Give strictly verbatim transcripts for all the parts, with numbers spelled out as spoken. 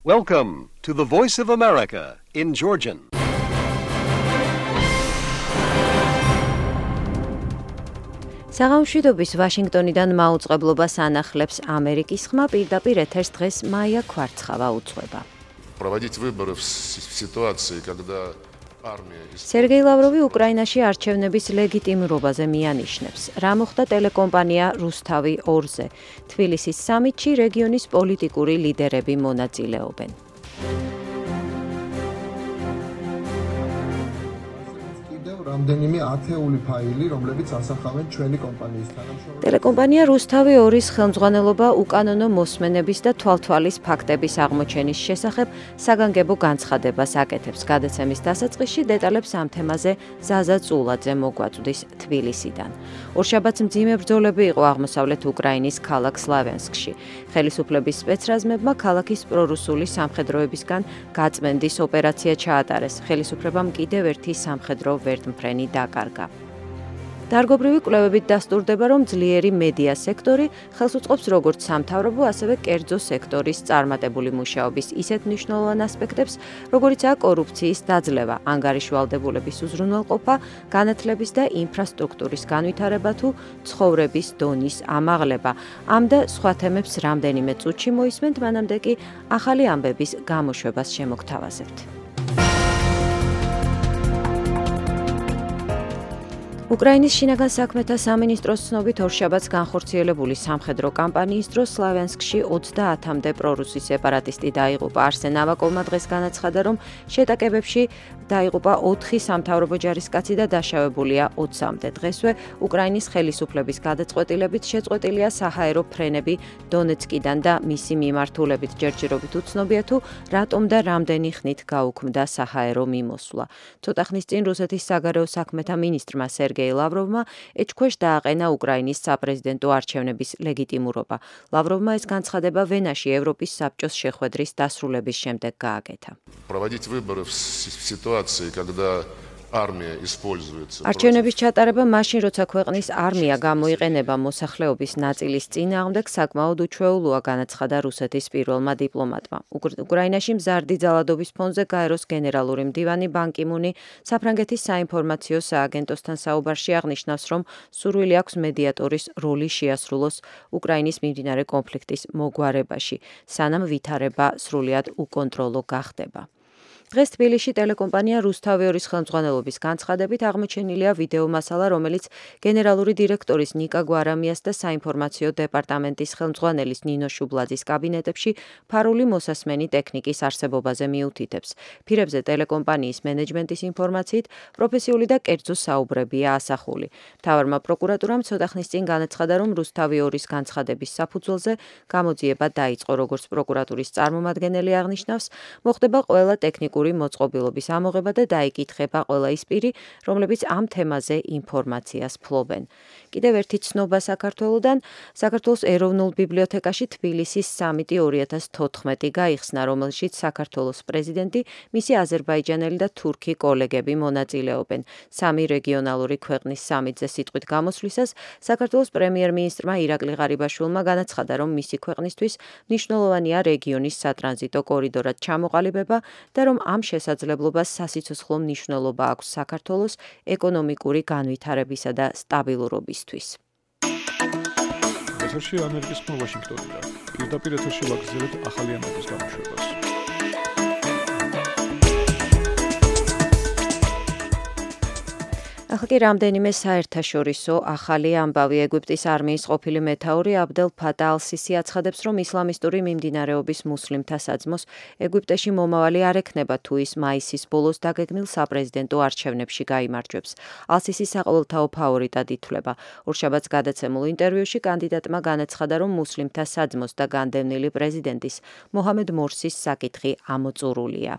Welcome to the Voice of America in Georgian. საღამოშვიდობის ვაშინგტონიდან მაუწყებლობას ანახლებს ამერიკის ხმა, პირდაპირ ეთერს დღეს მაია ქვარცხავა უძღვება. Проводить выборы в ситуации, когда армия სერგეი ლავროვი უკრაინაში არჩევნების ლეგიტიმურობაზე მიანიშნებს. რა მოხდა ტელეკომპანია რუსთავი ორზე. თბილისის სამიტში რეგიონის პოლიტიკური ლიდერები მონაწილეობენ. რამდენიმე ათეული ფაილი, რომლებიც ასახავენ ჩვენი კომპანიის თანამშრომლებს. ტელეკომპანია რუსთავი ორის ხელმძღვანელობა უკანონო მოსმენების და თვალთვალის ფაქტების აღმოჩენის შესახებ საგანგებო განცხადებას აკეთებს. გადაცემის დასაწყისში დეტალებს ამ თემაზე ზაზა წულაძე მოგვაწვდის თბილისიდან. ორშაბათს მძიმე ბრძოლები იყო აღმოსავლეთ უკრაინის ქალაქ სლავიანსკში. ხელისუფლების სპეცრაზმებმა ქალაქის პრორუსული სამხედროებისგან გაწმენდის ოპერაცია ჩაატარეს. ხელისუფლებამ კიდევ ერთი სამხედრო ვერტმფრენი დაკარგა. დარგობრივი კვლევებით დასტურდება, რომ ძლიერი მედია სექტორი ხელს უწყობს როგორც სამთავრობო, ასევე კერძო სექტორის წარმატებული მუშაობის ისეთ მნიშვნელოვან ასპექტებს, როგორიცაა კორუფციის დაძლევა, ანგარიშვალდებულების უზრუნველყოფა, განათლების და ინფრასტრუქტურის განვითარება თუ ცხოვრების დონის ამაღლება. ამ და სხვა თემებს რამდენიმე წუთში მოისმენთ, მანამდე კი ახალი ამბების გამოშვებას შემოგთავაზებთ. უკრაინის შინაგან საქმეთა სამინისტროს ცნობით ორშაბათს განხორციელებული სამხედრო კამპანიის დროს სლავიანსკში ოცდაათამდე პრორუსი სეპარატისტი დაიღუპა. არსენ ავაკოვმა დღეს განაცხადა, რომ შეტაკებებში დაიღუპა ოთხი სამთავრობო ჯარისკაცი და დაშავებულია ოცამდე. დღესვე უკრაინის ხელისუფლების გადაწყვეტილებით შეწყვეტილია საჰაერო ფრენები დონეცკიდან და მისი მიმართულებით ჯერჯერობით უცნობია თუ რატომ და რამდენი ხნით გაუქმდა საჰაერო მიმოსვლა. ცოტა ხნის წინ რუსეთის საგარეო საქმეთა მინისტრმა სერგეი ლავროვმა ეჭქვეშ დააყენა უკრაინის საპრეზიდენტო არჩევნების ლეგიტიმურობა. ლავროვმა ეს განცხადება ვენაში ევროპის საბჭოს შეხვედრის დასრულების შემდეგ გააკეთა. Проводить выборы в ситуации, когда армия используется. არჩევნების ჩატარება მაშინ, როცა ქვეყნის არმია გამოიყენება მოსახლეობის ნაწილის წინააღმდეგ, საკმაოდ უჩვეულოა, განაცხადა რუსეთის პირველმა დიპლომატმა. უკრაინაში მზარდი ძალადობის ფონზე გაეროს გენერალური მდივანი ბან კი მუნი საფრანგეთის საინფორმაციო სააგენტოსთან საუბარში აღნიშნავს, რომ სურვილი აქვს მედიატორის როლი შეასრულოს უკრაინის მიმდინარე კონფლიქტის მოგვარებაში, სანამ ვითარება სრულად უკონტროლო გახდება. დღეს თბილისში ტელეკომპანია რუსთავი ორის ხელმძღვანელობის განცხადებით აღმოჩენილია ვიდეო მასალა, რომელიც გენერალური დირექტორის ნიკა გვარამიას და საინფორმაციო დეპარტამენტის ხელმძღვანელის ნინო შუბლაძის კაბინეტებში ფარული მოსასმენი ტექნიკის არსებობაზე მიუთითებს. ფირებზე ტელეკომპანიის მენეჯმენტის ინფორმაციით პროფესიული და კერძო საუბრებია ასახული. მთავარმა პროკურატურამ ცოტა ხნის წინ განაცხადა, რომ რუსთავი ორის განცხადების საფუძველზე გამოძიება დაიწყო, როგორც პროკურატურის წარმომადგენელი აღნიშნავს, მოხდება ყველა ტექნიკური მოწყობილობის ამოღება და დაიკითხება ყველა ის პირი, რომლებიც ამ თემაზე ინფორმაციას ფლობენ. კიდევ ერთი ცნობა საქართველოდან, საქართველოს ეროვნულ ბიბლიოთეკაში თბილისის სამიტი ორი ათას თოთხმეტი გაიხსნა, რომელშიც საქართველოს პრეზიდენტი, მისი აზერბაიჯანელი და თურქი კოლეგები მონაწილეობენ. სამი რეგიონალური ქვეყნის სამიტზე სიტყვით გამოსვლისას საქართველოს პრემიერ-მინისტრმა ირაკლი ღარიბაშვილმა განაცხადა, რომ მისი ქვეყნისთვის მნიშვნელოვანია რეგიონის სატრანზიტო კორიდორად ჩამოყალიბება და რომ ამ შესაძლებლობას სასიცოცხლო მნიშვნელობა აქვს საქართველოს ეკონომიკური განვითარებისა და სტაბილურობისთვის. ეთერში ამერიკის ხმა ვაშინგტონიდან. პირდაპირ ეთერში ვაგრძელებთ ახალი ამბების გამოშვებას. ახლა კი რამდენიმე საერთაშორისო ახალი ამბავი. ეგვიპტის არმიის ყოფილი მეთაური აბდელ ფატა ალ-სისი აცხადებს, რომ ისლამისტური მიმდინარეობის მუსლიმთა საძმოს ეგვიპტეში მომავალი არ ექნება თუ ის მაისის ბოლოს დაგეგმილ საპრეზიდენტო არჩევნებში გაიმარჯვებს. ალ-სისი საყოველთაო ფავორიტად ითვლება. ორშაბათს გადაცემულ ინტერვიუში კანდიდატმა განაცხადა, რომ მუსლიმთა საძმოს და განდევნილი პრეზიდენტის მოჰამედ მორსის საკითხი ამოწურულია.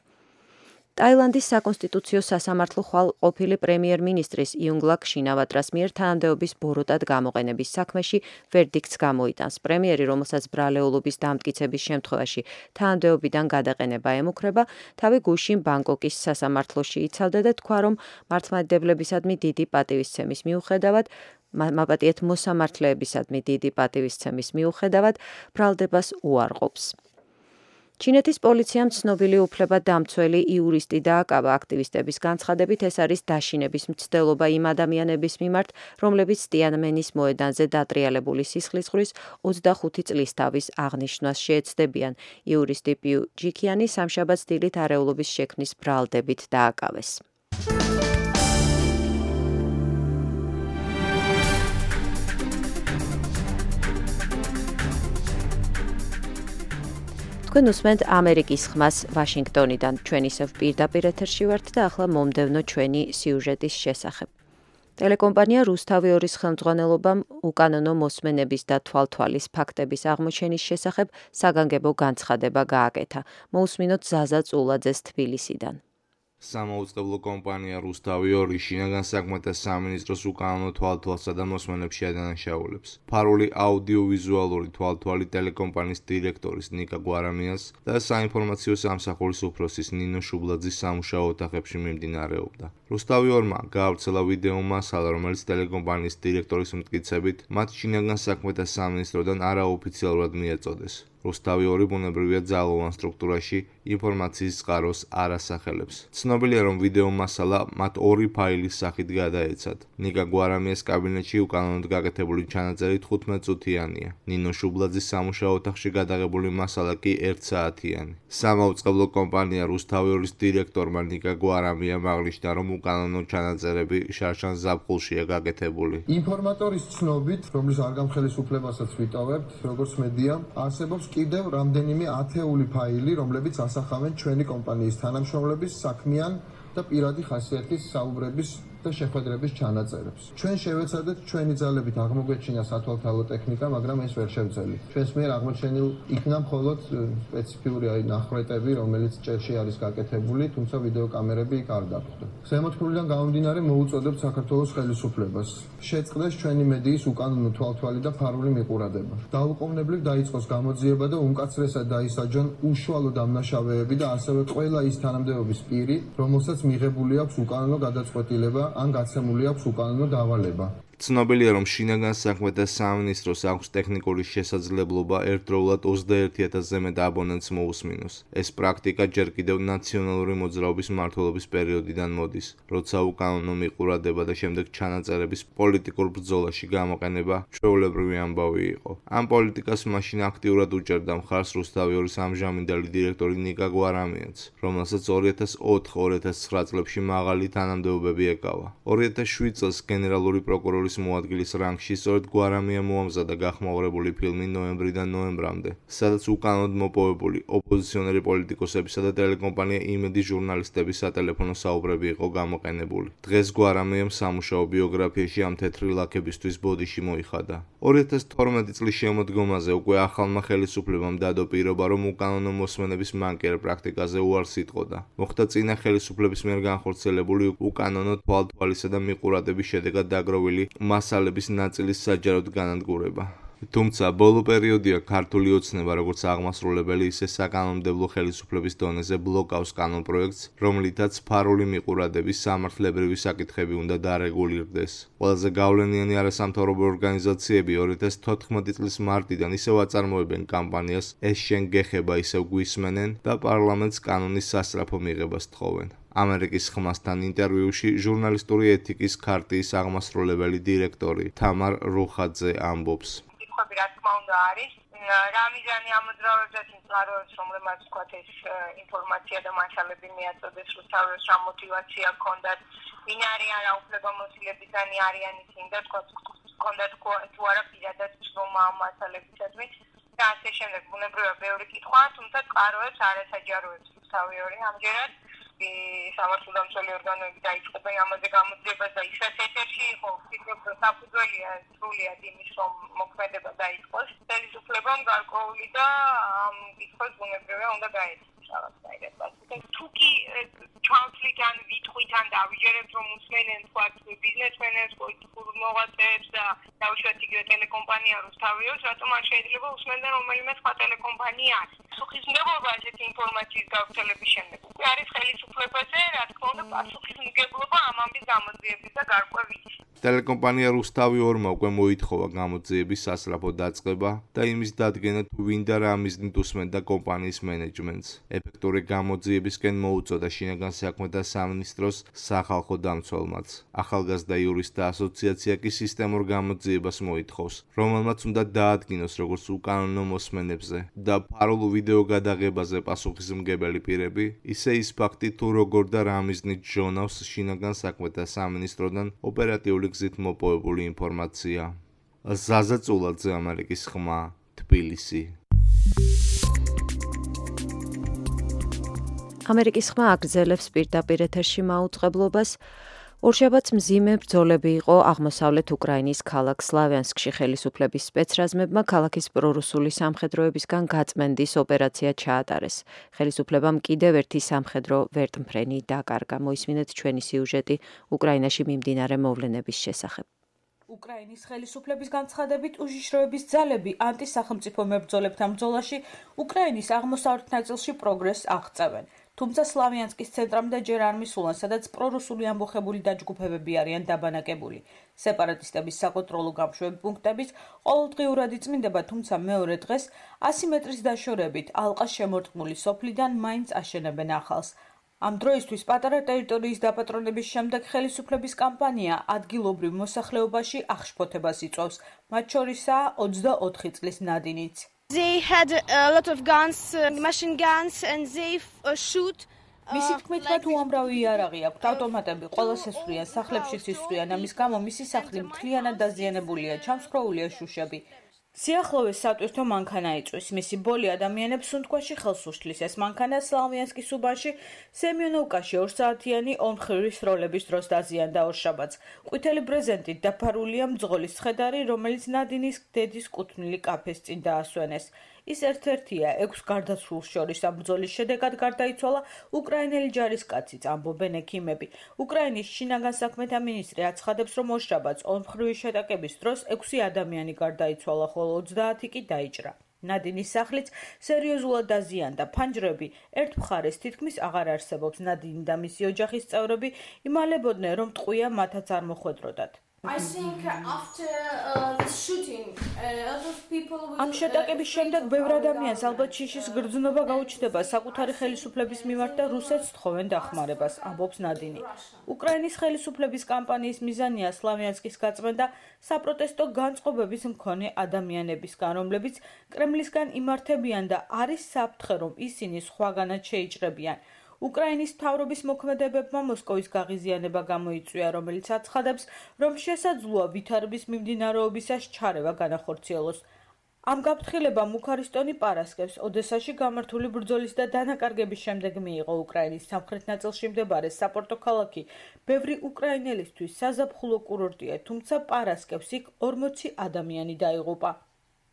ტაილანდის საკონსტიტუციო სასამართლო ხვალ ყოფილი პრემიერ-მინისტრის იუნგლაკ შინავატრას მიერ თანამდებობის ბოროტად გამოყენების საქმეში ვერდიქტს გამოიტანს. პრემიერი, რომელსაც ბრალეულობის დამტკიცების შემთხვევაში თანამდებობიდან გადაყენება ემუქრება, თავი გუშინ ბანგკოკის სასამართლოში იცავდა და თქვა, რომ მართლმადიდებლებისადმი დიდი პატივისცემის მიუხედავად მაპატიეთ მოსამართლეებისადმი დიდი პატივისცემის მიუხედავად ბრალდებას უარყოფს. ჩინეთის პოლიციამ ცნობილი უფლებადამცველი იურისტი დააკავა. აქტივისტების განცხადებით ეს არის დაშინების მცდელობა იმ ადამიანების მიმართ, რომლებიც ტიანმენის მოედანზე დატრიალებული სისხლისღვრის ოცდახუთი წლის თავის აღნიშვნას შეეცდებიან. იურისტი პიუ ჯიქიანი სამშაბათს დილით არეულობის შექმნის ბრალდებით დააკავეს. თქვენ უსმენთ ამერიკის ხმას ვაშინგტონიდან. ჩვენ ისევ პირდაპირ ეთერში ვართ და ახლა მომდევნო ჩვენი სიუჟეტის შესახებ. ტელეკომპანია რუსთავი ორის ხელმძღვანელობამ უკანონო მოსმენების და თვალთვალის ფაქტების აღმოჩენის შესახებ საგანგებო განცხადება გააკეთა. მოусმინოთ ზაზა წულაძეს თბილისიდან. სამაუწყებლო კომპანია რუსთავი ორი შინაგან საქმეთა სამინისტროს უკანონო თვალთვალსა და მოსმენებში ადანაშაულებს. ფარული აუდიოვიზუალური თვალთვალი ტელეკომპანიის დირექტორის ნიკა გვარამიას და საინფორმაციო სამსახურის უფროსის ნინო შუბლაძის სამუშაო ოთახებში მიმდინარეობდა. რუსთავი ორმა გაავრცელა ვიდეო მასალა, რომელიც ტელეკომპანიის დირექტორის მტკიცებით მათ შინაგან საქმეთა სამინისტროდან არაოფიციალურად მიეწოდეს. რუსთავი ორი ბუნებრივია ძალოვან სტრუქტურაში ინფორმაციის წყაროს არ ასახელებს. ცნობილია, რომ ვიდეო მასალა მათ ორი ფაილის სახით გადაეცათ. ნიკა გვარამიას კაბინეტში უკანონოდ გაკეთებული ჩანაწერი თხუთმეტ წუთიანია. ნინო შუბლაძის სამუშაო ოთახში გადაღებული მასალა კი ერთ საათიანი. სამაუწყებლო კომპანია რუსთავი ორის დირექტორმა ნიკა გვარამიამ აღნიშნა, რომ უკანონო ჩანაწერები შარშან ზაფხულშია გაკეთებული. ინფორმატორის ცნობით, რომლის არ გამხელისუფლებასაც ვიტოვებთ, როგორც მედია, არსებობს კიდევ რამდენიმე ათეული ფაილი, რომლებიც ასახავენ ჩვენი კომპანიის თანამშრომლების საქმიან და პირადი ხასიათის საუბრების და შეხვედრების ჩანაწერებს. ჩვენ შევეცადეთ ჩვენი ძალებით აღმოგვეჩინა სათვალთვალო ტექნიკა, მაგრამ ეს ვერ შევძელით. ჩვენს მიერ აღმოჩენილ იქნა მხოლოდ სპეციფიური აი ნახვეტები, რომელიც ჭერში არის გაკეთებული, თუმცა ვიდეო კამერები იქ არ დაგვხვდა. ზემოთქმულიდან გამომდინარე მოუწოდებთ საქართველოს ხელისუფლებას შეწყდეს ჩვენი მედიის უკანონო თვალთვალი და ფარული მიყურადება. დაუყოვნებლივ დაიწყოს გამოძიება და უმკაცრესად დაისაჯონ უშუალო დამნაშავეები და ასევე ყველა ის თანამდებობის პირი, რომელსაც მიღებული აქვს უკანონო გადაწყვეტილება ან გაცემული აქვს უკანონო დავალება. ცნობილია, რომ შინაგან საქმეთა სამინისტროს აქვს ტექნიკური შესაძლებლობა ერთდროულად ოცდაერთი ათასზე მეტ აბონენტს მოусმინოს. ეს პრაქტიკა ჯერ კიდევ ნაციონალური მოძრაობის მმართველობის პერიოდიდან მოდის, როცა უკანონო მიყურადება და შემდეგ ჩანაწერების პოლიტიკურ ბრძოლაში გამოყენება ჩვეულებრივი ამბავი იყო. ამ პოლიტიკას მაშინ აქტიურად უჭერდა მხარს რუსთავი ორის ამჟამინდელი დირექტორი ნიკა გვარამიაც, რომელსაც ორი ათას ოთხ ორი ათას ცხრა წლებში მაღალი თანამდებობები ეკავა. ორი ათას შვიდ წელს გენერალური პროკურორის მოადგილის რანგში სწორედ გვარამია მოამზადა გახმაურებული ფილმი ნოემბრიდან ნოემბრამდე, სადაც უკანონოდ მოპოვებული ოპოზიციონერი პოლიტიკოსებისა და ტელეკომპანია იმედი ჟურნალისტების სატელეფონო საუბრები იყო გამოყენებული. დღეს გვარამიამ სამუშაო ბიოგრაფიაში ამ თეთრი ლაქებისთვის ბოდიში მოიხადა. ორი ათას თორმეტი წლის შემოდგომაზე უკვე ახალმა ხელისუფლებამ დადო პირობა, რომ უკანონო მოსმენების მანკიერ პრაქტიკაზე უარს იტყოდა. მოხდა წინა ხელისუფლების მიერ განხორციელებული უკანონო თვალთვალისა და მიყურადების შედეგად დაგროვილი მასალების ნაწილის საჯაროდ განადგურება. თუმცა ბოლო პერიოდია ქართული ოცნება როგორც აღმასრულებელი, ისე საკანონმდებლო ხელისუფლების დონეზე ბლოკავს კანონპროექტს, რომლითაც ფარული მიყურადების სამართლებრივი საკითხები უნდა დარეგულირდეს. ყველაზე გავლენიანი არასამთავრობო ორგანიზაციები ორი ათას თოთხმეტი წლის მარტიდან ისევ აწარმოებენ კამპანიას ეს შენ გეხება ისევ გვისმენენ და პარლამენტს კანონის სასწრაფო მიღებას თხოვენ. ამერიკის ხმასთან ინტერვიუში ჟურნალისტური ეთიკის ქარტიის აღმასრულებელი დირექტორი თამარ რუხაძე ამბობს. კითხვები რა თქმა უნდა არის, რა მიზანი ამოძრავებს ეს წყაროებს, რომლებმაც თქვათ ეს ინფორმაცია და მასალები მიაწოდეს რუსთავის, რა მოტივაცია ჰქონდათ, ვინ არიან, რა უფლებამოსილებისანი არიან ისინი და თქვათ ჰქონდათ თუ არა პირადად ცნობა ამ მასალებისადმი და ასე შემდეგ. ბუნებრივია ბევრი კითხვა, თუმცა წყაროებს არ ესაჯაროებს რუსთავი ორი ამჯერად. სამართალდამცველი ორგანოები დაიწყებენ ამაზე გამოძიებას და ისაც ეთერში იყო, ვფიქრობ, რომ საფუძველია სრულიად იმის, რომ მოქმედება დაიწყოს. ხელისუფლებამ გარკვეული და ამ კითხვას ბუნებრივია უნდა გაეცეს რაღაცნაირად. თუ კი ჩავთვლით ან ვითყვით ან დავიჯერებთ, რომ უსმენენ თქვათ ბიზნესმენებს, პოლიტიკურ მოღვაწეებს და დაუშვათ იგივე ტელეკომპანია რუსთავი ორს, რატომ არ შეიძლება უსმენდნენ რომელიმე სხვა ტელეკომპანია? პასუხისმგებლობა ასეთი ინფორმაციის გავრცელების შემდეგ უკვე არის ხელისუფლებაზე, რა თქმა უნდა, პასუხისმგებლობა ამ ამბის გამოძიების და გარკვევის. ტელეკომპანია რუსთავი ორმა უკვე მოითხოვა გამოძიების სასწრაფო დაწყება და იმის დადგენა თუ ვინ და რა მიზნით უსმენდა კომპანიის მენეჯმენტს. ეფექტური გამოძიებისკენ მოუწოდა შინაგან საქმეთა სამინისტროს სახალხო დამცველმაც. ახალგაზრდა იურისტთა ასოციაცია კი სისტემურ გამოძიებას მოითხოვს, რომელმაც უნდა დაადგინოს როგორც უკანონო მოსმენებზე და ფარულ ვიდეო გადაღებაზე პასუხისმგებელი პირები, ისე ის ფაქტი თუ როგორ და რა მიზნით ჟონავს შინაგან საქმეთა სამინისტროდან ოპერატიული გზით მოპოვებული ინფორმაცია. ზაზა წულაძე, ამერიკის ხმა, თბილისი. ამერიკის ხმა აგრძელებს პირდაპირ ეთერში მაუწყებლობას. ორშაბათს მძიმე ბრძოლები იყო აღმოსავლეთ უკრაინის ქალაქ სლავიანსკში ხელისუფლების სპეცრაზმებმა ქალაქის პრორუსული სამხედროებისგან გაწმენდის ოპერაცია ჩაატარეს. ხელისუფლებამ კიდევ ერთი სამხედრო ვერტმფრენი დაკარგა. მოისმინეთ ჩვენი სიუჟეტი უკრაინაში მიმდინარე მოვლენების შესახებ. უკრაინის ხელისუფლების განცხადებით უშიშროების ძალები ანტისახელმწიფო მებრძოლებთან ბრძოლაში უკრაინის აღმოსავლეთ ნაწილში პროგრესს აღწევენ. თუმცა სლავიანსკის ცენტრამდე ჯერ არ მისულან, სადაც პრორუსული ამბოხებული დაჯგუფებები არიან დაბანაკებული. სეპარატისტების საკონტროლო გამშვები პუნქტების ყოველდღიურად იწმინდება, თუმცა მეორე დღეს ასი მეტრის დაშორებით ალყას შემორტყმული სოფლიდან მაინც აშენებენ ახალს. ამ დროისთვის პატარა ტერიტორიის დაპატრონების შემდეგ ხელისუფლების კამპანია ადგილობრივ მოსახლეობაში აღშფოთებას იწვევს, მათ შორისაა ოცდაოთხი წლის ნადინიც. They had a lot of guns, uh, machine guns, and they uh, shoot. მისი თქმით, მათ უამრავი იარაღი აქვთ, ავტომატები ყველას ესვრიან, სახლებშიც ისვრიან, ამის გამო მისი სახლი მთლიანად დაზიანებულია, ჩამსხვრეულია შუშები. სიახლოვეს სატვირთო მანქანა იწვის, მისი ბოლი ადამიანებს სუნთქვაში ხელს უშლის. ეს მანქანა სლავიანსკის უბანში სემიონოვკაში ორსაათიანი ომხრივი სროლების დროს დაზიანდა ორშაბათს. ყვითელი ბრეზენტით დაფარულია მძღოლის ცხედარი, რომელიც ნადინის დედის კუთვნილი კაფეს წინ დაასვენეს. ის ერთ-ერთია ექვს გარდაცვლილს შორის ამ ბრძოლის შედეგად გარდაიცვალა უკრაინელი ჯარისკაციც, ამბობენ ექიმები. უკრაინის შინაგან საქმეთა მინისტრი აცხადებს, რომ ორშაბათს ომხრივი შეტაკების დროს ექვსი ადამიანი გარდაიცვალა, ხოლო ოცდაათი კი დაიჭრა. ნადინის სახლიც სერიოზულად დაზიანდა. ფანჯრები ერთ მხარეს თითქმის აღარ არსებობს. ნადინი და მისი ოჯახის წევრები იმალებოდნენ, რომ ტყვია მათაც არ მოხვედროდათ. I think after uh, the shooting, a lot of people will... ამ შეტაკების შემდეგ ბევრ ადამიანს ალბათ შიშის გრძნობა გაუჩნდება საკუთარი ხელისუფლების მიმართ და რუსეთს თხოვენ დახმარებას, ამბობს ნადინი. უკრაინის ხელისუფლების კამპანიის მიზანია სლავიანსკის გაწმენდა საპროტესტო განწყობების მქონე ადამიანებისგან, რომლებიც კრემლისგან იმართებიან და არის საფრთხე, რომ ისინი სხვაგანაც შეიჭრებიან. უკრაინის მთავრობის მოქმედებებმა მოსკოვის გაღიზიანება გამოიწვია, რომელიც აცხადებს, რომ შესაძლოა ვითარების მიმდინარეობისას ჩარევა განახორციელოს. ამ გაფრთხილებამ უქარისტონი პარასკევს ოდესაში გამართული ბრძოლის და დანაკარგების შემდეგ მიიღო. უკრაინის სამხრეთ ნაწილში მდებარე საპორტო ქალაქი ბევრი უკრაინელისთვის საზაფხულო კურორტია, თუმცა პარასკევს იქ ორმოცი ადამიანი დაიღუპა.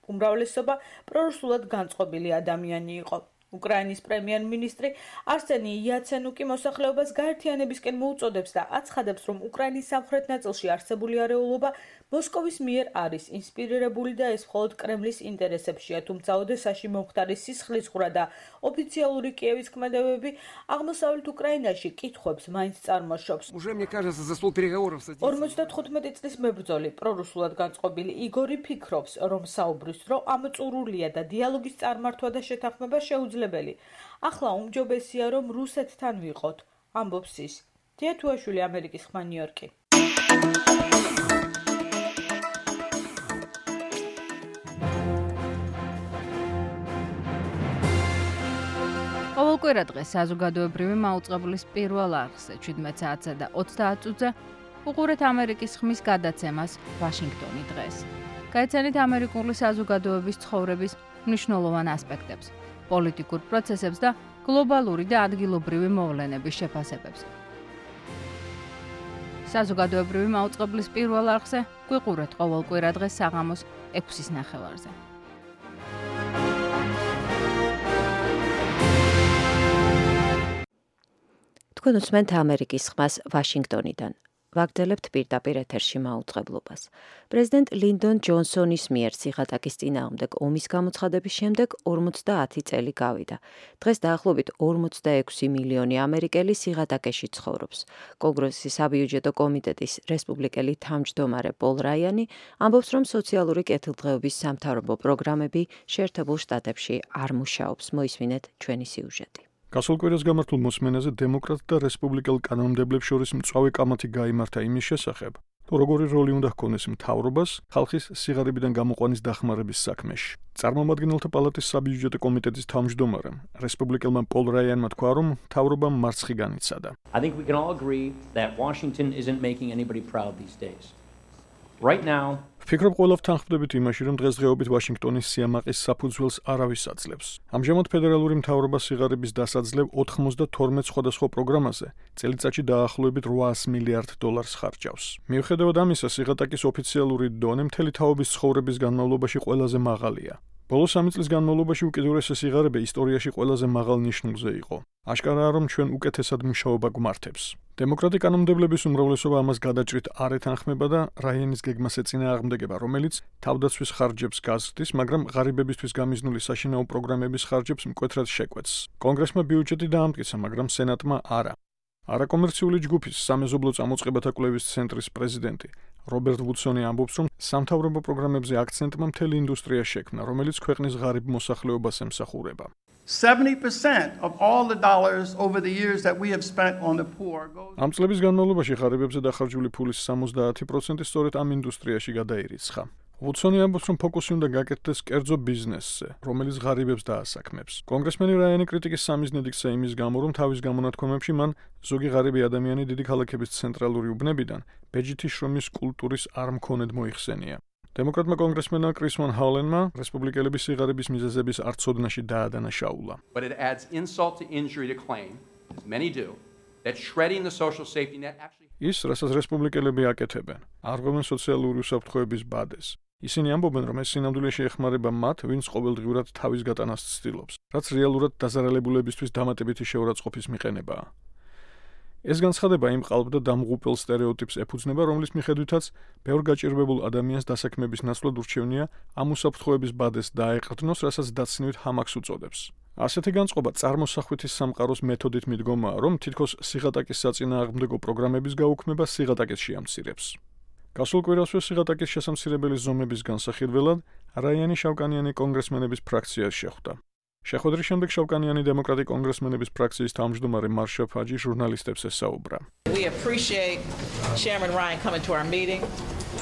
უმრავლესობა პრორუსულად განწყობილი ადამიანი იყო. უკრაინის პრემიერ-მინისტრი არსენი იაცენუკი მოსახლეობას გაერთიანებისკენ მოუწოდებს და აცხადებს, რომ უკრაინის სამხრეთ ნაწილში არსებული არეულობა მოსკოვის მიერ არის ინსპირირებული და ეს მხოლოდ კრემლის ინტერესებშია, თუმცა ოდესაში მომხდარი სისხლისღვრა და ოფიციალური კიევის ქმედებები აღმოსავლეთ უკრაინაში კითხვებს მაინც წარმოშობს. ორმოცდათხუთმეტი წლის მებრძოლი პრორუსულად განწყობილი იგორი ფიქრობს, რომ საუბრის დრო ამწურულია და დიალოგის წარმართვა და შეთანხმება შეუძლებელი. ახლა უმჯობესია, რომ რუსეთთან ვიყოთ, ამბობს ის. დია თუაშვილი, ამერიკის ხმა, ნიუ-იორკი. ყოველკვირა დღეს საზოგადოებრივი მაუწყებლის პირველ არხზე ჩვიდმეტ საათსა და ოცდაათ წუთზე უყურეთ ამერიკის ხმის გადაცემას ვაშინგტონი დღეს. გაიცანით ამერიკული საზოგადოების ცხოვრების მნიშვნელოვან ასპექტებს, პოლიტიკურ პროცესებს და გლობალური და ადგილობრივი მოვლენების შეფასებებს. საზოგადოებრივი მაუწყებლის პირველ არხზე გვიყურეთ ყოველკვირა დღეს საღამოს ექვსის ნახევარზე. თქვენ უსმენთ ამერიკის ხმას ვაშინგტონიდან. ვაგრძელებთ პირდაპირ ეთერში მაუწყებლობას. პრეზიდენტ ლინდონ ჯონსონის მიერ სიღატაკის წინააღმდეგ ომის გამოცხადების შემდეგ ორმოცდაათი წელი გავიდა. დღეს დაახლოებით ორმოცდაექვსი მილიონი ამერიკელი სიღატაკეში ცხოვრობს. კონგრესის საბიუჯეტო კომიტეტის რესპუბლიკელი თავმჯდომარე პოლ რაიანი ამბობს, რომ სოციალური კეთილდღეობის სამთავრობო პროგრამები შეერთებულ შტატებში არ მუშაობს. მოისმინეთ ჩვენი სიუჟეტი. გასულ კვირას გამართულ მოსმენაზე დემოკრატ და რესპუბლიკელ კანონმდებლებს შორის მწვავე კამათი გაიმართა იმის შესახებ, თუ როგორი როლი უნდა ჰქონდეს მთავრობას ხალხის სიღარიბიდან გამოყვანის დახმარების საქმეში. წარმომადგენელთა პალატის საბიუჯეტო კომიტეტის თავმჯდომარემ, რესპუბლიკელმა პოლ რაიანმა თქვა, რომ მთავრობამ მარცხი განიცადა. I think we can all agree that Washington isn't making anybody proud these days. Right now, ვფიქრობ, ყველა ვთანხმდებით იმაში, რომ დღესდღეობით ვაშინგტონის სიამაყის საფუძველს არავის აძლევს. ამჟამად ფედერალური მთავრობა სიღარიბის დასაძლევ ოცდათორმეტ სხვადასხვა პროგრამაზე წელიწადში დაახლოებით რვაას მილიარდ დოლარს ხარჯავს. მიუხედავად ამისა, სიღატაკის ოფიციალური დონე მთელი თაობის ცხოვრების განმავლობაში ყველაზე მაღალია. ბოლო სამი წლის განმავლობაში უკიდურესი სიღარიბე ისტორიაში ყველაზე მაღალ ნიშნულზე იყო. აშკარაა, რომ ჩვენ უკეთესად მუშაობა გვმართებს. დემოკრატი კანონმდებლების უმრავლესობა ამას გადაჭრით არ ეთანხმება და რაიანის გეგმას ეწინააღმდეგება, რომელიც თავდაცვის ხარჯებს გაზრდის, მაგრამ ღარიბებისთვის გამიზნული საშინაო პროგრამების ხარჯებს მკვეთრად შეკვეთს. კონგრესმა ბიუჯეტი დაამტკიცა, მაგრამ სენატმა არა. არაკომერციული ჯგუფის სამეზობლო წამოწყებათა კვლევის ცენტრის პრეზიდენტი რობერტ ვუდსონი ამბობს, რომ სამთავრობო პროგრამებზე აქცენტმა მთელი ინდუსტრია შექმნა, რომელიც ქვეყნის ღარიბ მოსახლეობას ემსახურება. seventy percent of all the dollars over the years that we have spent on the poor goes ამ წლების განმავლობაში ღარიბებზე დახარჯული ფულის სამოცდაათი პროცენტი სწორედ ამ ინდუსტრიაში გადაირიცხა. ვუდსონი ამბობს, რომ ფოკუსი უნდა გაკეთდეს კერძო ბიზნესზე, რომელიც ღარიბებს დაასაქმებს. კონგრესმენი რაიანი კრიტიკის სამიზნედ იქცა იმის გამო, რომ თავის გამონათქვამებში მან ზოგი ღარიბი ადამიანი დიდი ქალაქების ცენტრალური უბნებიდან ბეჯითი შრომის კულტურის არ მქონედ მოიხსენია. დემოკრატმა კონგრესმენმა კრის ვან ჰალენმა რესპუბლიკელების სიღარიბის მიზეზების არცოდნაში დაადანაშაულა. But it adds insult to injury to claim, as many do, that shredding the social safety net actually ის, რასაც რესპუბლიკელები აკეთებენ, არღვევენ სოციალური უსაფრთხოების ბადეს. ისინი ამბობენ, რომ ეს სინამდვილეში ეხმარება მათ, ვინც ყოველდღიურად თავის გატანას ცდილობს, რაც რეალურად დაზარალებულებისთვის დამატებითი შეურაცხყოფის მიყენებაა. ეს განცხადება იმ ყალბ და დამღუპელ სტერეოტიპს ეფუძნება, რომლის მიხედვითაც ბევრ გაჭირვებულ ადამიანს დასაქმების ნაცვლად ურჩევნია ამ უსაფრთხოების ბადეს დაეყრდნოს, რასაც დაცნივით ჰამაკს უწოდებს. ასეთი განწყობა წარმოსახვითის სამყაროს მეთოდით მიდგომაა, რომ თითქოს სიღატაკის საწინააღმდეგო პროგრამების გაუქმება სიღატაკეს შეამცირებს. გასულ კვირასვე სიღატაკის შესამცირებელი ზომების განსახილველად რაიანი შავკანიანი კონგრესმენების ფრაქციას შეხვდა. შეხვედრის შემდეგ შავკანიანი დემოკრატი კონგრესმენების ფრაქციის თავმჯდომარე მარშა ფაჯი ჟურნალისტებს ესაუბრა. We appreciate Chairman Ryan coming to our meeting.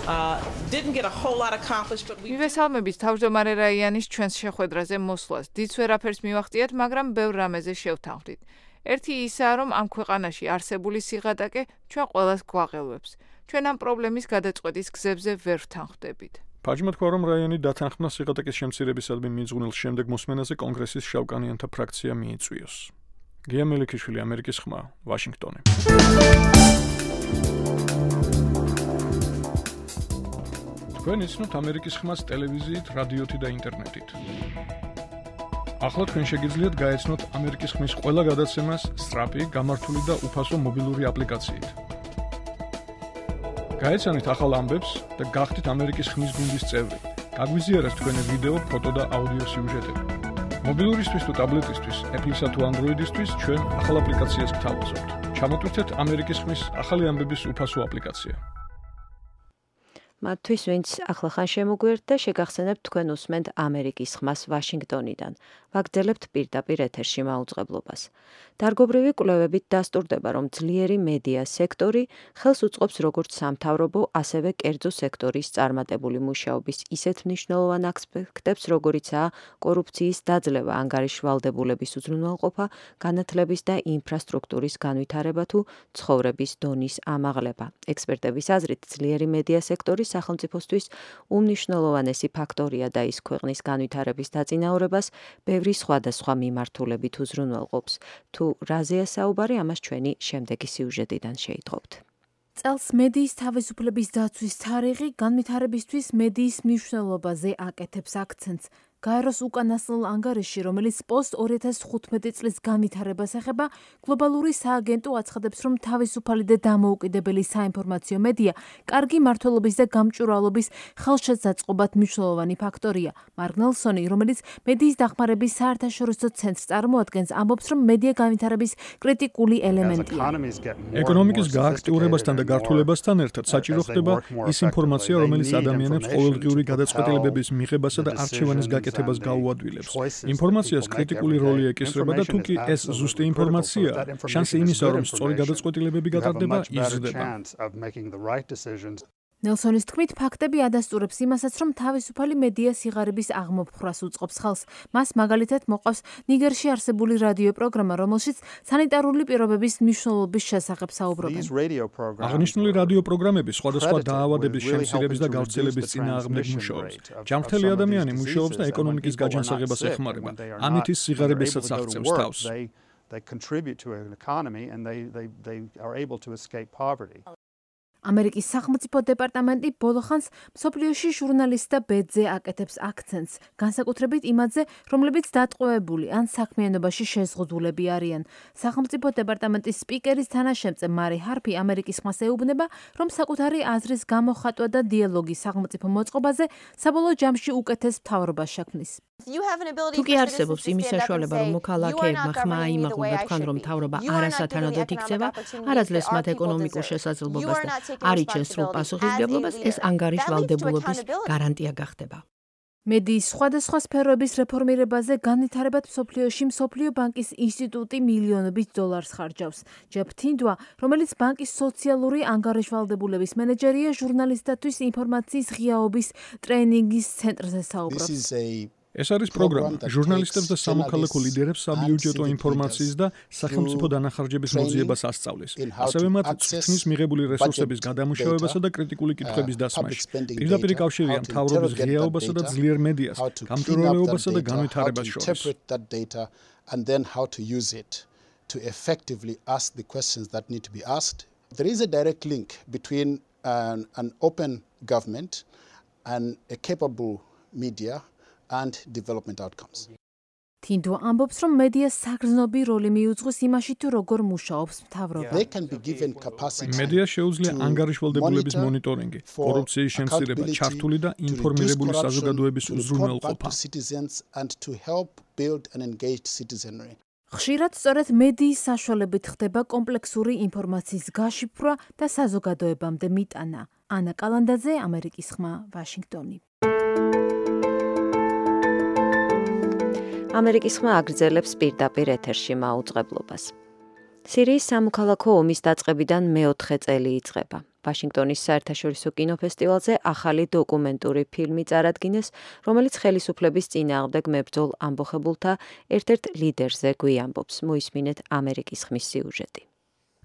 Uh didn't get a whole lot accomplished but we მივესალმებით თავმჯდომარე რაიანის ჩვენს შეხვედრაზე მოსვლას. დიდ ვერაფერს მივახციეთ, მაგრამ ბევრ რამეზე შევთანხმდით. ერთი ისაა, რომ ამ ქვეყანაში არსებული სიღატაკე ჩვენ ყველას გვაღელვებს. ჩვენ ამ პრობლემის გადაწყვეტის გზებზე ვერ ვთანხმდებით. ფაჯმა თქვა, რომ რაიანი დათანხმდა სიღატაკის შემცირებისადმი მიძღვნილ შემდეგ მოსმენაზე კონგრესის შავკანიანთა ფრაქცია მიიწვიოს. გია მელიქიშვილი, ამერიკის ხმა, ვაშინგტონი. თქვენ იცნობთ ამერიკის ხმას ტელევიზიით, რადიოთი და ინტერნეტით. ახლა თქვენ შეგიძლიათ გაეცნოთ ამერიკის ხმის ყველა გადაცემას სწრაფი, გამართული და უფასო მობილური აპლიკაციით. გაეცანით ახალ ამბებს და გახდით ამერიკის ხმის გუნდის წევრი. გაგვიზიარეთ თქვენი ვიდეო, ფოტო და აუდიო სიუჟეტები. მობილურისთვის თუ ტაბლეტისთვის, Apple-ისა თუ Android-ისთვის ჩვენ ახალ აპლიკაციას გთავაზობთ. ჩამოტვირთეთ ამერიკის ხმის ახალი ამბების უფასო აპლიკაცია. მათთვის, ვინც ახლახან შემოგვიერთთ და შეგახსენებთ თქვენ უსმენთ ამერიკის ხმას ვაშინგტონიდან. ვაგრძელებთ პირდაპირ ეთერში მაუწყებლობას. დარგობრივი კვლევებით დასტურდება, რომ ძლიერი მედია სექტორი ხელს უწყობს როგორც სამთავრობო, ასევე კერძო სექტორის წარმატებული მუშაობის ისეთ მნიშვნელოვან ასპექტებს, როგორიცაა კორუფციის დაძლევა, ანგარიშვალდებულების უზრუნველყოფა, განათლების და ინფრასტრუქტურის განვითარება თუ ცხოვრების დონის ამაღლება. ექსპერტების აზრით, ძლიერი მედია სექტორი სახელმწიფოსთვის უმნიშვნელოვანესი ფაქტორია და ის ქვეყნის განვითარების დაწინაურებას ბევრი სხვადასხვა მიმართულებით უზრუნველყოფს. თუ რაზეა საუბარი, ამას ჩვენი შემდეგი სიუჟეტიდან შეიტყობთ. წელს მედიის თავისუფლების დაცვის თარიღი განვითარებისთვის მედიის მნიშვნელობაზე აკეთებს აქცენტს. გაეროს უკანასკნელ ანგარიშში, რომელიც პოსტ ორი ათას თხუთმეტი წლის განვითარებას ეხება, გლობალური სააგენტო აცხადებს, რომ თავისუფალი და დამოუკიდებელი საინფორმაციო მედია კარგი მმართველობის და გამჭვირვალობის ხელშეწყობად მნიშვნელოვანი ფაქტორია. მარკ ნელსონი, რომელიც მედიის დახმარების საერთაშორისო ცენტრს წარმოადგენს, ამბობს, რომ მედია განვითარების კრიტიკული ელემენტია. ეკონომიკის გააქტიურებასთან და გართულებასთან ერთად საჭირო ხდება ის ინფორმაცია, რომელიც ადამიანებს ყოველდღიური გადაწყვეტილებების მიღებასა და არჩევანის გაკეთებას გაუადვილებს. ინფორმაციას კრიტიკული როლი ეკისრება და თუკი ეს ზუსტი ინფორმაციაა, შანსი იმისა, რომ სწორი გადაწყვეტილებები გატარდება, იზრდება. ნელსონის თქმით, ფაქტები ადასტურებს იმასაც, რომ თავისუფალი მედია სიღარიბის აღმოფხვრას უწყობს ხელს. მას მაგალითად მოყავს ნიგერში არსებული რადიო პროგრამა, რომელშიც სანიტარული პირობების მნიშვნელობის შესახებ საუბრობენ. აღნიშნული რადიო პროგრამები სხვადასხვა დაავადების შემცირების და გავრცელების წინააღმდეგ მუშაობს. ჯანმრთელი ადამიანი მუშაობს და ეკონომიკის გაჯანსაღებას ეხმარება. ამით ის სიღარიბესაც აღწევს თავს. They contribute to an economy and they, they, they are able to escape poverty. ამერიკის სახელმწიფო დეპარტამენტი ბოლოხანს მსოფლიოში ჟურნალისტთა ბედზე აკეთებს აქცენტს, განსაკუთრებით იმაზე, რომლებიც დატყვევებული ან საქმიანობაში შეზღუდულები არიან. სახელმწიფო დეპარტამენტის სპიკერის თანაშემწე მარი ჰარპი ამერიკის ხმას ეუბნება, რომ საკუთარი აზრის გამოხატვა და დიალოგი სახელმწიფო მოწყობაზე საბოლოო ჯამში უკეთეს მთავრობას შექმნის. თუკი არსებობს იმის საშუალება, რომ მოქალაქეებმა ხმა აიმაღლონ და თქვან, რომ მთავრობა არასათანადოდ იქცევა, არაძლევს მათ ეკონომიკურ შესაძლებლობას და არ იჩენს სრულ პასუხისმგებლობას, ეს ანგარიშვალდებულობის გარანტია გახდება. მედიის სხვადასხვა სფეროების რეფორმირებაზე განვითარებად მსოფლიოში მსოფლიო ბანკის ინსტიტუტი მილიონობით დოლარს ხარჯავს. ჯეფ თინდვა, რომელიც ბანკის სოციალური ანგარიშვალდებულების მენეჯერია, ჟურნალისტთათვის ინფორმაციის ღიაობის ტრეინინგის ცენტრზე საუბრობს. ეს არის პროგრამა, ჟურნალისტებს და სამოქალაქო ლიდერებს საბიუჯეტო ინფორმაციის და სახელმწიფო დანახარჯების მოძიებას ასწავლის. ასევე მათ წვრთნის მიღებული რესურსების გადამუშავებასა და კრიტიკული კითხვების დასმაში. პირდაპირ კავშირია მთავრობის ღიაობასა და ძლიერ მედიას, გამჭვირვალეობასა და განვითარებას შორის. And then how to use it to effectively ask the questions that need to be asked. There is a direct link between an, an open government and a capable media and development outcomes. თინდვა ამბობს, რომ მედიას საგრძნობი როლი მიუძღვის იმაში, თუ როგორ მუშაობს მთავრობა. They can be given capacity. მედიას შეუძლია ანგარიშვალდებულების მონიტორინგი, კორუფციის შემცირება, ჩართული და ინფორმირებული საზოგადოების უზრუნველყოფა. And to help build an engaged citizenry. ხშირად სწორედ მედიის საშუალებით ხდება კომპლექსური ინფორმაციის გაშიფრვა და საზოგადოებამდე მიტანა. ანა კალანდაძე, ამერიკის ხმა, ვაშინგტონი. ამერიკის ხმა აგრძელებს პირდაპირ ეთერში მაუწყებლობას. სირიის სამოქალაქო ომის დაწყებიდან მეოთხე წელი იწყება. ვაშინგტონის საერთაშორისო კინოფესტივალზე ახალი დოკუმენტური ფილმი წარადგინეს, რომელიც ხელისუფლების წინააღმდეგ მებრძოლ ამბოხებულთა ერთ-ერთ ლიდერზე გვიამბობს. მოისმინეთ ამერიკის ხმის სიუჟეტი.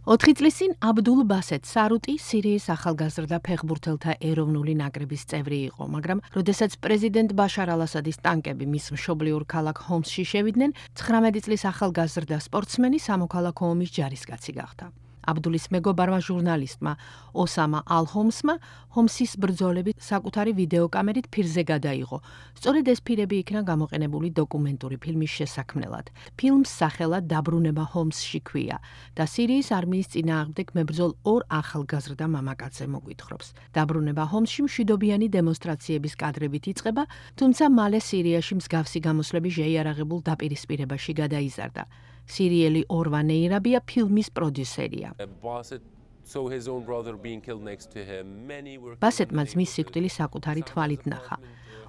ოთხი წლის წინ აბდულ ბასეთ სარუტი სირიის ახალგაზრდა ფეხბურთელთა ეროვნული ნაკრების წევრი იყო, მაგრამ როდესაც პრეზიდენტ ბაშარ ალ-ასადის ტანკები მის მშობლიურ ქალაქ ჰომსში შევიდნენ, ცხრამეტი წლის ახალგაზრდა სპორტსმენი სამოქალაქო ომის ჯარისკაცი გახდა. აბდულის მეგობარმა ჟურნალისტმა ოსამა ალ-ჰომსმა ჰომსის ბრძოლები საკუთარი ვიდეოკამერით ფირზე გადაიღო. სწორედ ეს ფირები იქნა გამოყენებული დოკუმენტური ფილმის შესაქმნელად. ფილმს სახელად დაბრუნება ჰომსში ქვია და სირიის არმიის წინააღმდეგ მებრძოლ ორ ახალგაზრდა მამაკაცზე მოგვითხრობს. დაბრუნება ჰომსში მშვიდობიანი დემონსტრაციების კადრებით იწყება, თუმცა მალე სირიაში მსგავსი გამოსვლები შეიარაღებულ დაპირისპირებაში გადაიზარდა. სერიალი ორვა ნეირაბია ფილმის პროდიუსერია. ბასეტმა ძმის სიკვდილი საკუთარი თვალით ნახა.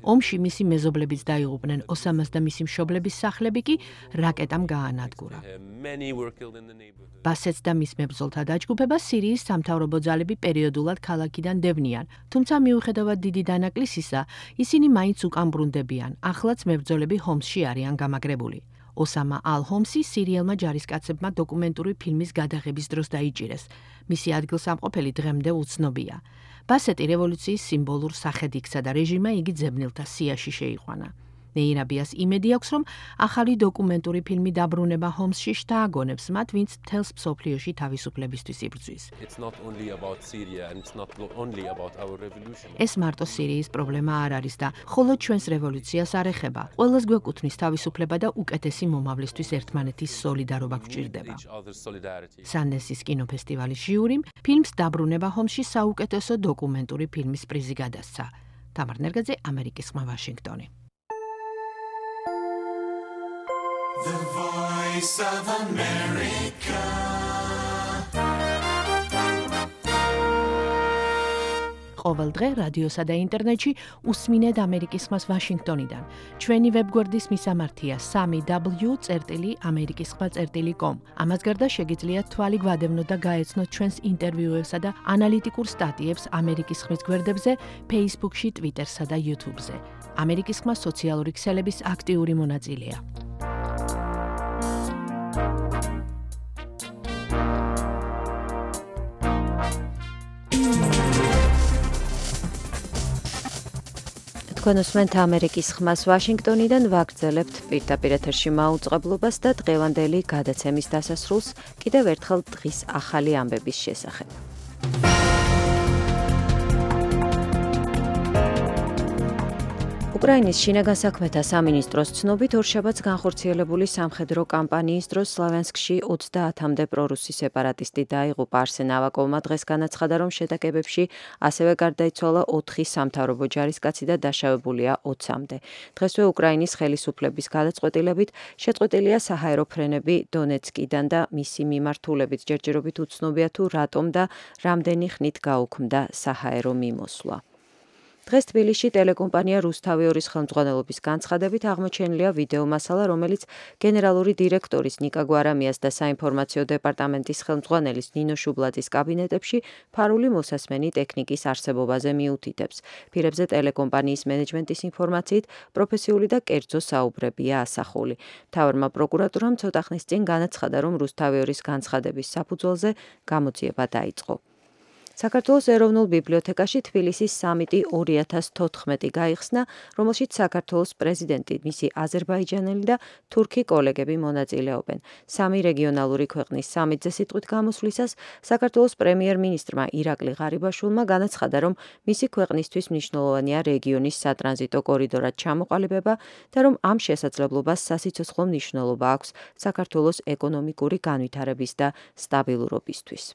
ომში მისი მეზობლებიც დაიღუპნენ, ოსამას და მისი მშობლების სახლები კი რაკეტამ გაანადგურა. ბასეტს და მის მებრძოლთა დაჯგუფებას სირიის სამთავრობო ძალები პერიოდულად ქალაქიდან დევნიან, თუმცა მიუხედავად დიდი დანაკლისისა, ისინი მაინც უკან ბრუნდებიან. ახლაც მებრძოლები ჰომსში არიან გამაგრებული. ოსამა ალ-ჰომსი სირიელმა ჯარისკაცებმა დოკუმენტური ფილმის გადაღების დროს დაიჭირეს. მისი ადგილსამყოფელი დღემდე უცნობია. ბასეტი რევოლუციის სიმბოლურ სახედ იქცა და რეჟიმმა იგი ძებნელთა სიაში შეიყვანა. ნეირაბიას იმედი აქვს, რომ ახალი დოკუმენტური ფილმი დაბრუნება ჰომსში შთააგონებს მათ, ვინც მთელს მსოფლიოში თავისუფლებისთვის იბრძვის. ეს მარტო სირიის პრობლემა არ არის და მხოლოდ ჩვენს რევოლუციას არ ეხება. ყველას გვეკუთვნის თავისუფლება და უკეთესი მომავლისთვის ერთმანეთის სოლიდარობა გვჭირდება. სანდენსის კინოფესტივალის ჟიურიმ ფილმს დაბრუნება ჰომსში საუკეთესო დოკუმენტური ფილმის პრიზი გადასცა. თამარ ნერგაძე, ამერიკის ხმა, ვაშინგტონი. The Voice of America. ყოველ დღე რადიოსა და ინტერნეტში უსმინეთ ამერიკის ხმას ვაშინგტონიდან. ჩვენი ვებგვერდის მისამართია სამი დაბლიუ წერტილი ამერიკის ხმა წერტილი კომ. ამას გარდა შეგიძლიათ თვალი გვადევნოთ და გაეცნოთ ჩვენს ინტერვიუებსა და ანალიტიკურ სტატიებს ამერიკის ხმის გვერდებზე, Facebook-ში, Twitter-სა და YouTube-ზე. ამერიკის ხმა სოციალური ქსელების აქტიური მონაწილეა. თქვენ უსმენთ ამერიკის ხმას ვაშინგტონიდან, ვაგრძელებთ პირდაპირ ეთერში მაუწყებლობას და დღევანდელი გადაცემის დასასრულს კიდევ ერთხელ დღის ახალი ამბების შესახებ. უკრაინის შინაგან საქმეთა სამინისტროს ცნობით, ორშაბათს განხორციელებული სამხედრო კამპანიის დროს სლავიანსკში ოცდაათამდე პრორუსი სეპარატისტი დაიღუპა. არსენ ავაკოვმა დღეს განაცხადა, რომ შეტაკებებში ასევე გარდაიცვალა ოთხი სამთავრობო ჯარისკაცი და დაშავებულია ოცამდე. დღესვე უკრაინის ხელისუფლების გადაწყვეტილებით შეწყვეტილია საჰაერო ფრენები დონეცკიდან და მისი მიმართულებით ჯერჯერობით უცნობია თუ რატომ და რამდენი ხნით გაუქმდა საჰაერო მიმოსვლა. დღეს თბილისში ტელეკომპანია რუსთავი ორის ხელმძღვანელობის განცხადებით აღმოჩენილია ვიდეო მასალა, რომელიც გენერალური დირექტორის ნიკა გვარამიას და საინფორმაციო დეპარტამენტის ხელმძღვანელის ნინო შუბლაძის კაბინეტებში ფარული მოსასმენი ტექნიკის არსებობაზე მიუთითებს. ფირებზე ტელეკომპანიის მენეჯმენტის ინფორმაციით პროფესიული და კერძო საუბრებია ასახული. მთავარმა პროკურატურამ ცოტა ხნის წინ განაცხადა, რომ რუსთავი ორის განცხადების საფუძველზე გამოძიება დაიწყო. საქართველოს ეროვნულ ბიბლიოთეკაში თბილისის სამიტი ორი ათას თოთხმეტი გაიხსნა, რომელშიც საქართველოს პრეზიდენტი, მისი აზერბაიჯანელი და თურქი კოლეგები მონაწილეობენ. სამი რეგიონალური ქვეყნის სამიტზე სიტყვით გამოსვლისას საქართველოს პრემიერ-მინისტრმა ირაკლი ღარიბაშვილმა განაცხადა, რომ მისი ქვეყნისთვის მნიშვნელოვანია რეგიონის სატრანზიტო კორიდორად ჩამოყალიბება და რომ ამ შესაძლებლობას სასიცოცხლო მნიშვნელობა აქვს საქართველოს ეკონომიკური განვითარების და სტაბილურობისთვის.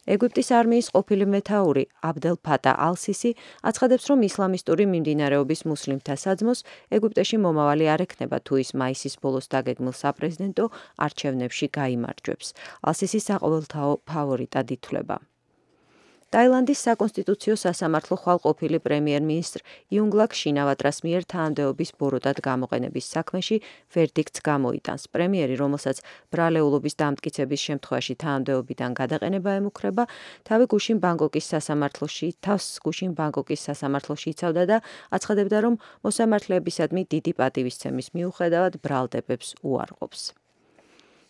ეგვიპტის არმიის ყოფილი მეთაური აბდელ ფატა ალ-სისი აცხადებს, რომ ისლამისტური მიმდინარეობის მუსლიმთა საძმოს ეგვიპტეში მომავალი არ ექნება, თუ ის მაისის ბოლოს დაგეგმილ საპრეზიდენტო არჩევნებში გაიმარჯვებს. ალ-სისი საყოველთაო ფავორიტად ითვლება. ტაილანდის საკონსტიტუციო სასამართლო ხვალყოფილი პრემიერ-მინისტრ იუნგლაკ შინავატრას მიერ თანამდებობის ბოროტად გამოყენების საქმეში ვერდიქტს გამოიტანს. პრემიერი, რომელსაც ბრალეულობის დამტკიცების შემთხვევაში თანამდებობიდან გადაყენება ემუქრება, თავი გუშინ ბანგკოკის სასამართლოში, თავს გუშინ ბანგკოკის სასამართლოში იცავდა და აცხადებდა, რომ მოსამართლეებისადმი დიდი პატივისცემის მიუხედავად ბრალდებებს უარყოფს.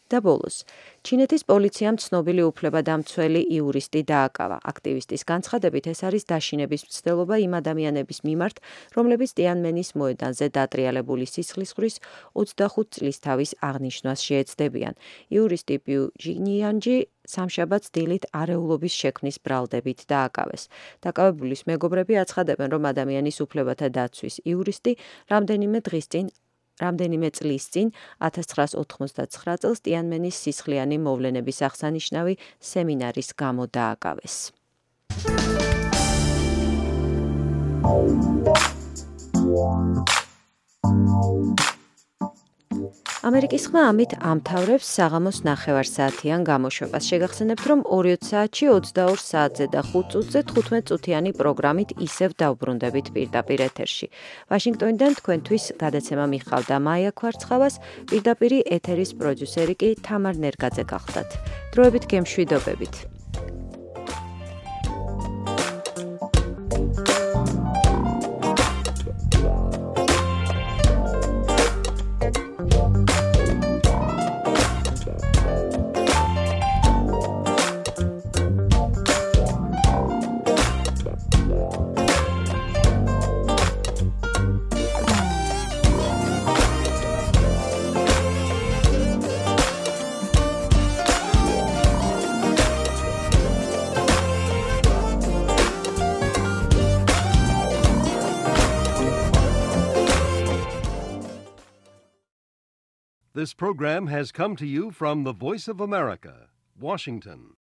და ბოლოს, ჩინეთის პოლიციამ ცნობილი უფლებადამცველი იურისტი დააკავა. აქტივისტის განცხადებით, ეს არის დაშინების მცდელობა იმ ადამიანების მიმართ, რომლებიც ტიანმენის მოედანზე დატრიალებული სისხლისღვრის ოცდახუთ წლის თავის აღნიშვნას შეეცდებიან. იურისტი პიუ ჟინიანჯი სამშაბათს დილით არეულობის შექმნის ბრალდებით დააკავეს. დაკავებულის მეგობრები აცხადებენ, რომ ადამიანის უფლებათა დაცვის იურისტი რამდენიმე დღის წინ რამდენიმე წლის წინ ათას ცხრაას ოთხმოცდაცხრა წელს ტიანმენის სისხლიანი მოვლენების აღსანიშნავი სემინარის გამო დააკავეს. ამერიკის ხმა ამით ამთავრებს საღამოს ნახევარსაათიან გამოშვებას. შეგახსენებთ, რომ ორი საათში ოცდაორ საათზე და ხუთ წუთზე თხუთმეტ წუთიანი პროგრამით ისევ დავბრუნდებით პირდაპირ ეთერში. ვაშინგტონიდან თქვენთვის გადაცემა მიხავდა მაია ქვარცხავას, პირდაპირი ეთერის პროდიუსერი კი თამარ ნერგაძე გახლდათ. დროებით გემშვიდობებით. This program has come to you from the Voice of America, Washington.